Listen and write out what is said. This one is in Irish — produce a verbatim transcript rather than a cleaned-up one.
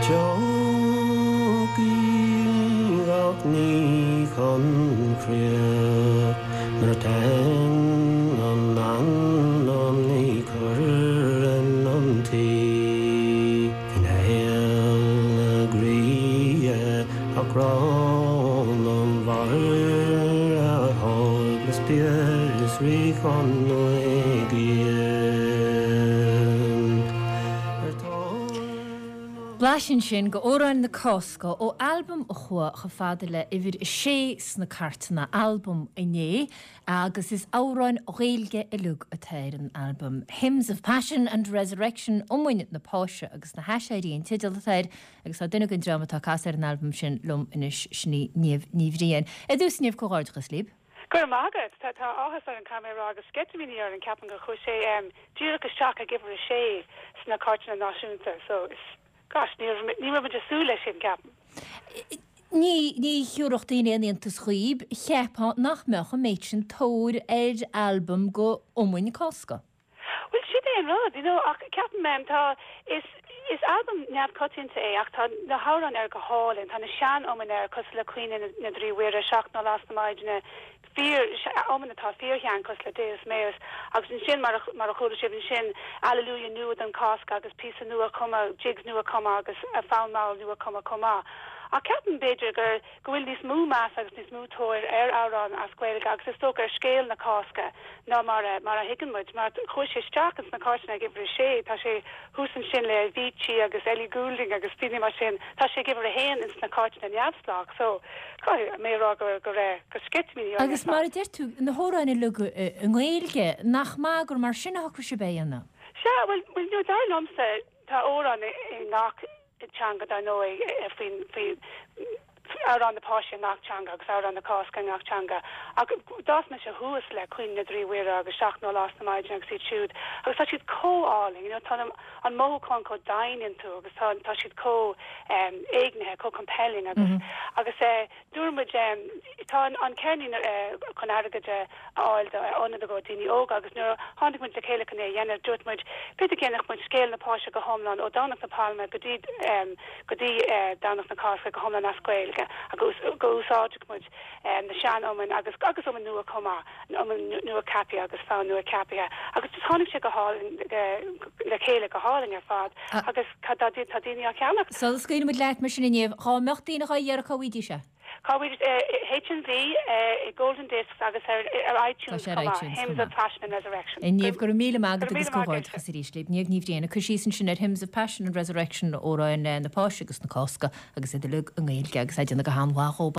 Tiocfaidh gach ní chun críoch nuair atá an anam ní chuireann an tí Gnéal na gríe a grán an bhar a thóg spiis rí chun nuigíon. Blaiseadh sin go Amhráin na Cásca ó albam a chuaigh chomh fada le uimhir a sé sna cairteanna albam inné agus is amhráin Ghaeilge uilig atá ar an albam. Hymns of Passion and Resurrection iomainn na Páise agus na hAiséirí an teideal atá air agus tá duine den dream atá ag casadh ar an albam sin liom anois sin í Niamh Ní Bhriain. Ar dtús Niamh comhghairdeachas libh. Go raibh maith agat tá tá áthas orainn caithfidh mé a rá agus sceitimíní orainn ceapaim gur chuaigh sé um, díreach isteach ag uimhir a sé sna cairteanna náisiúnta so is gosh ní ní raibh muid ag súil leis sin ceapaim. Ní ní thiúrfadh daoine aon iontas dhaoib cheapfá nach mbeadh an méid sin tóir ar albam go iomainn Cásca. Well sin é an rud, you know, ach ceapaim um, tá is is albam neamhchoitianta é ach tá na hamhráin air go hálainn, tá na sean-iomainn air cosúil le Caoineadh na dTrí Mhuire seacht nó Lá na Maighdine fíor iomainn atá fíorshean cosúil le Deus Meus agus ansin mar mar a chuala sibh ansin Alleluia nua don Chásc agus píosa nua cumtha jigs nua cumtha agus a fonn mall nua cumtha chomh maith. Ach ceapaim b'fhéidir gur go bhfuil níos mó meas agus níos mó tóir ar amhráin as Gaeilge agus is dócha ar scéal na Cásca ná mar a mar a thuigeann muid mar chuaigh sé isteach ins na cairteanna ag uimhir a sé tá sé thuas ansin le Avicii agus Ellie Goulding agus daoine mar sin tá sé ag uimhir a haon ins na cairteanna neamhspleách so caithfidh mé rá go go raibh go sceitimíní Agus mar a deir tú na hamhráin uilig i nGaeilge nach maith gur mar sin a shocraigh sibh é a dhéanamh. Sea well well no dar liomsa tá amhrán i ngach teanga dar ndóigh faoin faoi amhrán na Páise i ngach teanga agus amhrán na Cásca i ngach teanga. Ach d'fhás mise suas le Caoineadh na dTrí Mhuire agus seacht nó Lá na Maighdine agus iad siúd agus tá siad chomh hálainn, you know, tá an mothúchán chomh domhain iontu agus tá tá siad chomh um, éignithe, chomh compelling agus mm -hmm. agus uh, dúirt muid um, tá an, an ceirnín uh, chun airgead a fháil do ionad do daoine óga agus nuair tháinig muid le chéile chun é a dhéanamh dúirt muid b'fhéidir go ndéanfadh muid scéal na Páise go hiomlán ó Domhnach na Pailme go dtí um, go dtí uh, Domhnach na Cásca go hiomlán as Gaeilge agus go úsáidfeadh muid um, na sean-iomainn agus agus iomainn nua chomh maith iomainn nua ceaptha agus fonn nua ceaptha agus just tháinig sé go hálainn le chéile go hálainn ar fad agus tá tá daoine á cheannach. So scaoilfidh muid leat mar sin Niamh dhá mbeadh daoine á iarraidh cá bhfaighidís é. Cá bhfuil HMV i Golden Discs agus ar ar iTunes ar iTunes Hymns of Passion and Resurrection. Niamh go raibh míle maith agat agus comhghairdeachas arís libh Niamh Ní Bhriain cur síos ansin ar Hymns of Passion and Resurrection amhráin na Páise agus na Cásca agus iad uilig i nGaeilge agus é déanta go han-mhaith.